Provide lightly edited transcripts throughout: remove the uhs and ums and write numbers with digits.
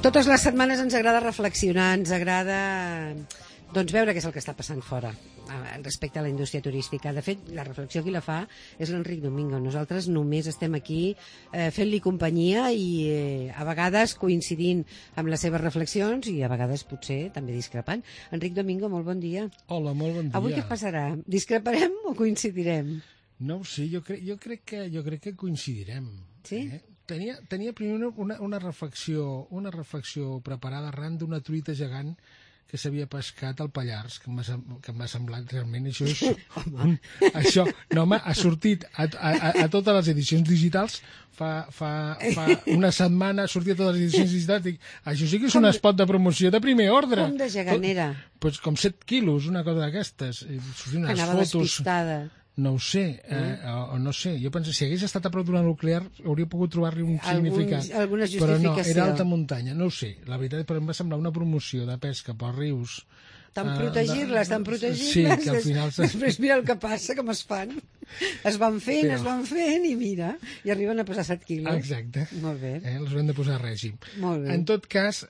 Totes les setmanes ens agrada reflexionar, ens agrada veure què és el que està passant fora respecte a la indústria turística. De fet, la reflexió qui la fa és l'Enric Domingo. Nosaltres només estem aquí fent-li companyia i a vegades coincidint amb les seves reflexions i a vegades potser també discrepant. Enric Domingo, molt bon dia. Hola, molt bon dia. Avui què passarà? Discreparem o coincidirem? No ho sé, jo crec que coincidirem. Sí? Tenia primer una reflexió preparada arran d'una truita gegant que s'havia pescat al Pallars, que m'ha semblat realment ha sortit a totes les edicions digitals fa una setmana, ha sortit a totes les edicions digitals, dic, això sí que és un spot de promoció de primer ordre. Com de gegant era? Pues com 7 quilos, una cosa d'aquestes. Que anava despistada. No ho sé, o no sé. Jo penso, si hagués estat a prop d'una nuclear, hauria pogut trobar-li un significat. Alguna justificació. Però no, era alta muntanya, no ho sé. La veritat, però em va semblar una promoció de pesca pels rius. Tant protegir-les. Sí, que al final... Després mira el que passa, com es fan. Es van fent i mira, i arriben a posar 7 quilos. Exacte. Molt bé. Els hem de posar a règim. Molt bé. En tot cas,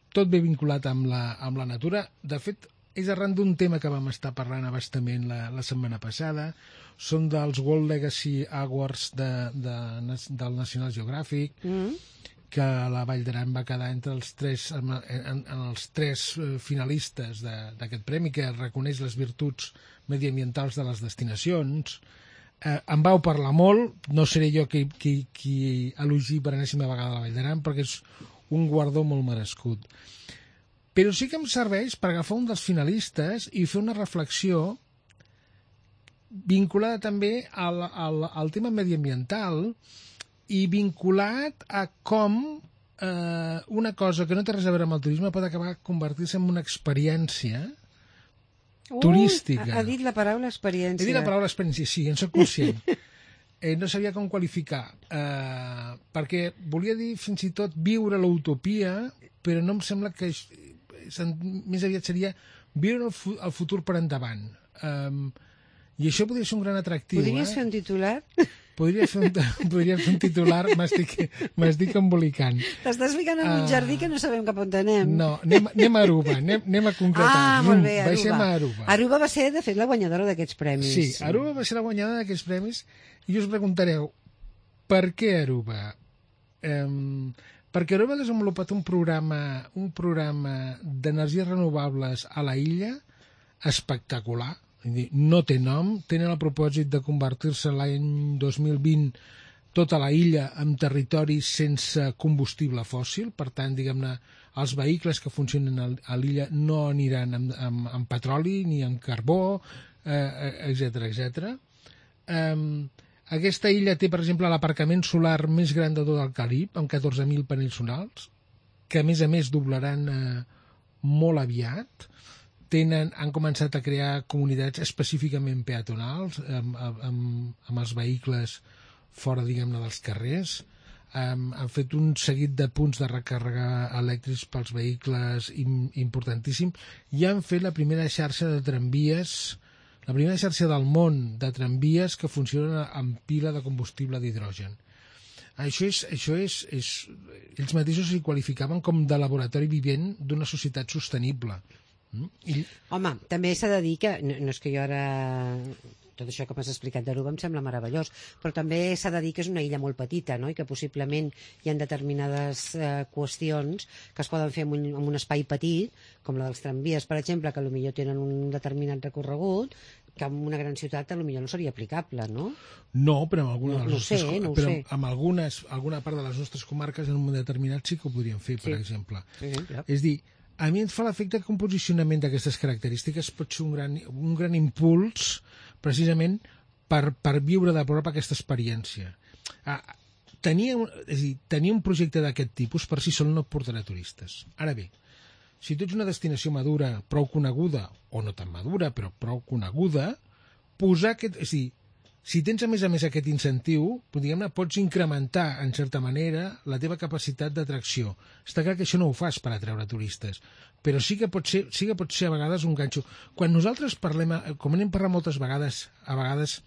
tot ve vinculat amb la natura. De fet, és arran d'un tema que vam estar parlant abastament la setmana passada. Són dels World Legacy Awards del National Geographic, que la Vall d'Aran va quedar entre els tres finalistes d'aquest premi, que reconeix les virtuts mediambientals de les destinacions. En vau parlar molt, no seré jo qui elogi per enèsima vegada la Vall d'Aran, perquè és un guardó molt merescut. Però sí que em serveix per agafar un dels finalistes i fer una reflexió vinculada també al tema mediambiental i vinculat a com una cosa que no té res a veure amb el turisme pot acabar convertir-se en una experiència turística. Ha dit la paraula experiència. He dit la paraula experiència, sí, en soc conscient. No sabia com qualificar, perquè volia dir fins i tot viure l'utopia, però no em sembla que... més aviat seria viure el futur per endavant. I això podria ser un gran atractiu. Podries fer un titular? Podria fer un titular, m'estic embolicant. T'estàs ficant en un jardí que no sabem cap on anem. No, anem a Aruba, anem a concretar. Molt bé, Aruba. Baixem a Aruba. Aruba va ser, de fet, la guanyadora d'aquests premis. Sí, Aruba va ser la guanyadora d'aquests premis i us preguntareu, per què Aruba? Perquè Aruba ha desenvolupat un programa d'energies renovables a la illa espectacular. No té nom, tenen el propòsit de convertir-se l'any 2020 tota la illa en territori sense combustible fòssil, per tant, diguem-ne, els vehicles que funcionen a l'illa no aniran amb petroli ni amb carbó, etc. Aquesta illa té, per exemple, l'aparcament solar més gran de tot el Carib, amb 14.000 panells solars, que a més doblaran molt aviat. Han començat a crear comunitats específicament peatonals, amb els vehicles fora, diguem-ne, dels carrers. Han fet un seguit de punts de recàrrega elèctrics pels vehicles importantíssim i han fet la primera xarxa de tramvies, la primera xarxa del món de tramvies que funcionen amb pila de combustible d'hidrogen. Això és... Ells mateixos s'hi qualificaven com de laboratori vivent d'una societat sostenible. Home, també s'ha de dir que, no és que jo ara... Tot això que m'has explicat d'Aruba em sembla meravellós, però també s'ha de dir que és una illa molt petita, no? I que possiblement hi ha determinades qüestions que es poden fer en un espai petit, com la dels tramvies, per exemple, que potser tenen un determinat recorregut, que en una gran ciutat potser no seria aplicable, no? No, però amb alguna part de les nostres comarques en un moment determinat sí que ho podríem fer, per exemple. És dir, a mi em fa l'efecte que un posicionament d'aquestes característiques pot ser un gran impuls precisament per viure de prop aquesta experiència. Tenir un projecte d'aquest tipus per si sol no portarà turistes. Ara bé, si tu ets una destinació madura, prou coneguda, o no tan madura, però prou coneguda, posar aquest... És a dir, si tens a més aquest incentiu, diguem-ne, pots incrementar, en certa manera, la teva capacitat d'atracció. Està clar que això no ho fas per atreure turistes, però sí que pot ser a vegades un ganxo. Quan nosaltres parlem, com n'hem parlat moltes vegades, a vegades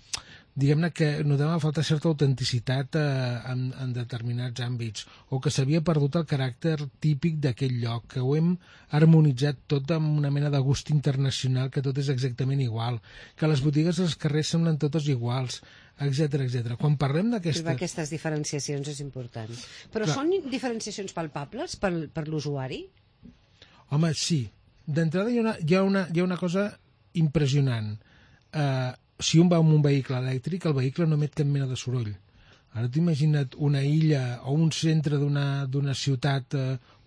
diguem-ne que notem a falta certa autenticitat en determinats àmbits, o que s'havia perdut el caràcter típic d'aquell lloc, que ho hem harmonitzat tot amb una mena de gust internacional, que tot és exactament igual, que les botigues dels carrers semblen totes iguals, etc. Quan parlem d'aquestes diferenciacions és important. Però són diferenciacions palpables per l'usuari? Home, sí. D'entrada hi ha una cosa impressionant. Si un va amb un vehicle elèctric, el vehicle no emet cap mena de soroll. Ara t'imagina't una illa o un centre d'una ciutat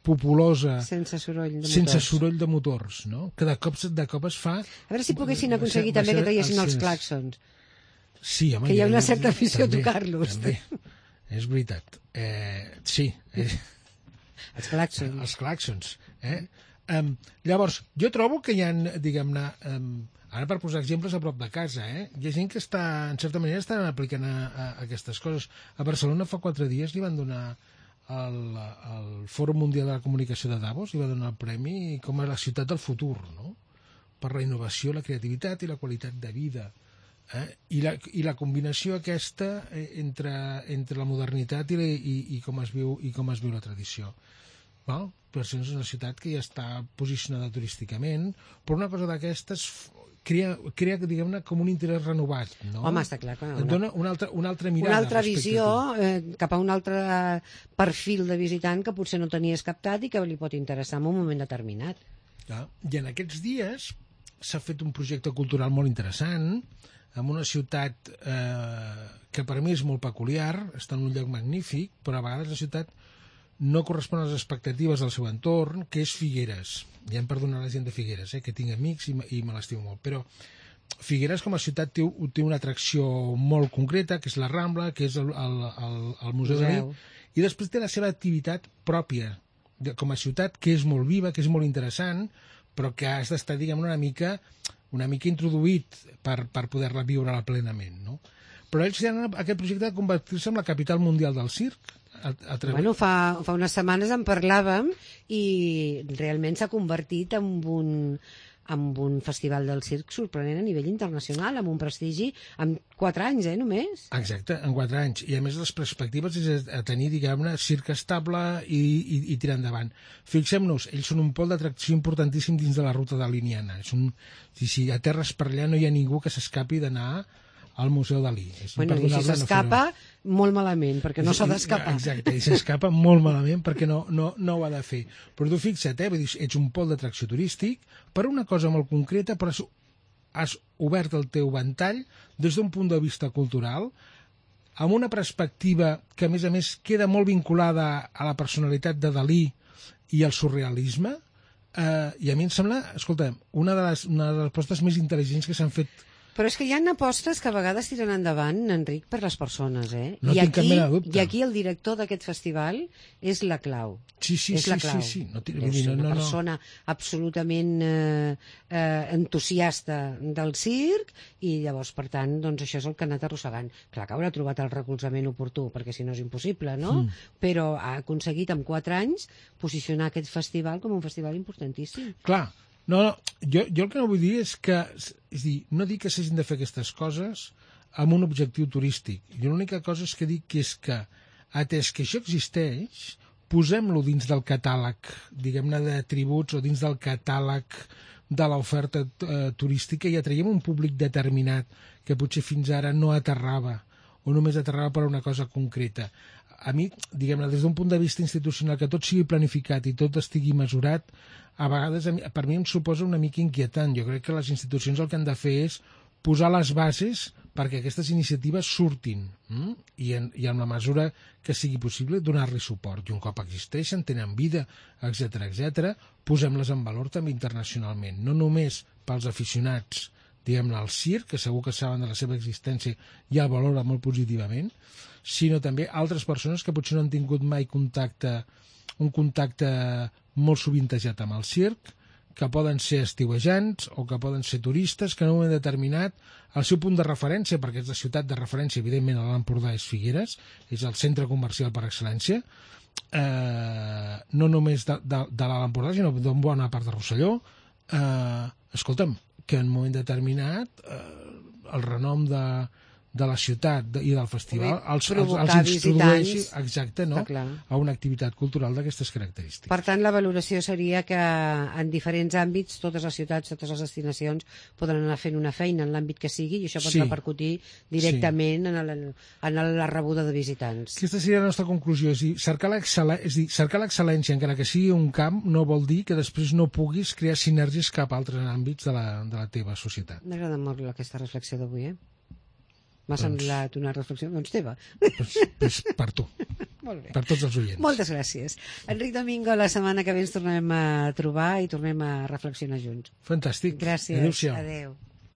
populosa sense soroll de motors, no? Que de cop es fa... A veure si poguessin aconseguir també que traiessin els clàxons. Sí, home, que hi ha una certa afició a tocar-los. També, és veritat. Sí. Els clàxons. Els clàxons. Llavors, jo trobo que hi ha, diguem-ne, ara per posar exemples a prop de casa, hi ha gent que està, en certa manera, estan aplicant aquestes coses. A Barcelona fa 4 dies li van donar al Fòrum Mundial de la Comunicació de Davos, li va donar el premi com a la ciutat del futur, no? Per la innovació, la creativitat i la qualitat de vida. I la combinació aquesta entre la modernitat i com es viu la tradició. Per això és una ciutat que ja està posicionada turísticament, però una cosa d'aquestes crea, diguem-ne, com un interès renovat, no? Home, està clar. Et dona una altra mirada. Una altra visió cap a un altre perfil de visitant que potser no tenies captat i que li pot interessar en un moment determinat. I en aquests dies s'ha fet un projecte cultural molt interessant en una ciutat que per mi és molt peculiar, està en un lloc magnífic, però a vegades la ciutat no correspon a les expectatives del seu entorn, que és Figueres. Ja em perdona la gent de Figueres, que tinc amics i me l'estimo molt, però Figueres com a ciutat té una atracció molt concreta, que és la Rambla, que és el Museu Dalí, i després té la seva activitat pròpia com a ciutat, que és molt viva, que és molt interessant, però que has d'estar, diguem, una mica introduït per poder-la viure plenament, no? Però ells tenen aquest projecte de convertir-se en la capital mundial del circ. Bueno, fa unes setmanes en parlàvem i realment s'ha convertit en un festival del circ sorprenent a nivell internacional, amb un prestigi en 4 anys, només. Exacte, en 4 anys. I a més les perspectives és a tenir, diguem-ne, circ estable i tirar endavant. Fixem-nos, ells són un pol d'atracció importantíssim dins de la ruta daliniana. Si a terres per allà no hi ha ningú que s'escapi d'anar al Museu Dalí. Bueno, i si s'escapa, molt malament, perquè no s'ha d'escapar. Exacte, i s'escapa molt malament perquè no ho ha de fer. Però tu fixa't, ets un pol d'atracció turístic per una cosa molt concreta, però has obert el teu ventall des d'un punt de vista cultural, amb una perspectiva que, a més, queda molt vinculada a la personalitat de Dalí i al surrealisme, i a mi em sembla, escolta, una de les apostes més intel·ligents que s'han fet. Però és que hi ha apostes que a vegades tiren endavant, Enric, per les persones, No tinc cap mena de dubte. I aquí el director d'aquest festival és la clau. Sí. Una persona absolutament entusiasta del circ i llavors, per tant, doncs això és el que ha anat arrossegant. Clar que haurà trobat el recolzament oportú, perquè si no és impossible, no? Però ha aconseguit en 4 anys posicionar aquest festival com un festival importantíssim. Clar. No, jo el que no vull dir és que... És dir, no dic que s'hagin de fer aquestes coses amb un objectiu turístic. Jo l'única cosa és que dic és que, atès que això existeix, posem-lo dins del catàleg, diguem-ne, de tributs o dins del catàleg de l'oferta turística i atraiem un públic determinat que potser fins ara no aterrava o només aterrava per una cosa concreta. A mi, diguem-ne, des d'un punt de vista institucional, que tot sigui planificat i tot estigui mesurat, a vegades per mi em suposa una mica inquietant. Jo crec que les institucions el que han de fer és posar les bases perquè aquestes iniciatives surtin i en la mesura que sigui possible donar-li suport. I un cop existeixen, tenen vida, etc., posem-les en valor també internacionalment, no només pels aficionats, diguem-ne, al circ, que segur que saben de la seva existència i el valora molt positivament, sinó també altres persones que potser no han tingut mai un contacte molt sovintejat amb el circ, que poden ser estiuejants o que poden ser turistes, que en un moment determinat el seu punt de referència, perquè és la ciutat de referència, evidentment a l'Empordà és Figueres, és el centre comercial per excel·lència, no només de l'Alt Empordà, sinó d'una bona part de Rosselló. Escolta'm, que en un moment determinat el renom de la ciutat i del festival els introdueixi a una activitat cultural d'aquestes característiques. Per tant, la valoració seria que en diferents àmbits totes les ciutats, totes les destinacions poden anar fent una feina en l'àmbit que sigui i això pot repercutir directament en la rebuda de visitants. Aquesta seria la nostra conclusió, és dir, cercar l'excel·lència, encara que sigui un camp, no vol dir que després no puguis crear sinergies cap a altres àmbits de la teva societat. M'agrada molt aquesta reflexió d'avui, M'ha semblat una reflexió, teva. Pues per tu. Molt bé. Per tots els oients. Moltes gràcies. Enric Domingo, la setmana que ve ens tornem a trobar i tornem a reflexionar junts. Fantàstic. Gràcies. Adéu-siau. Adéu.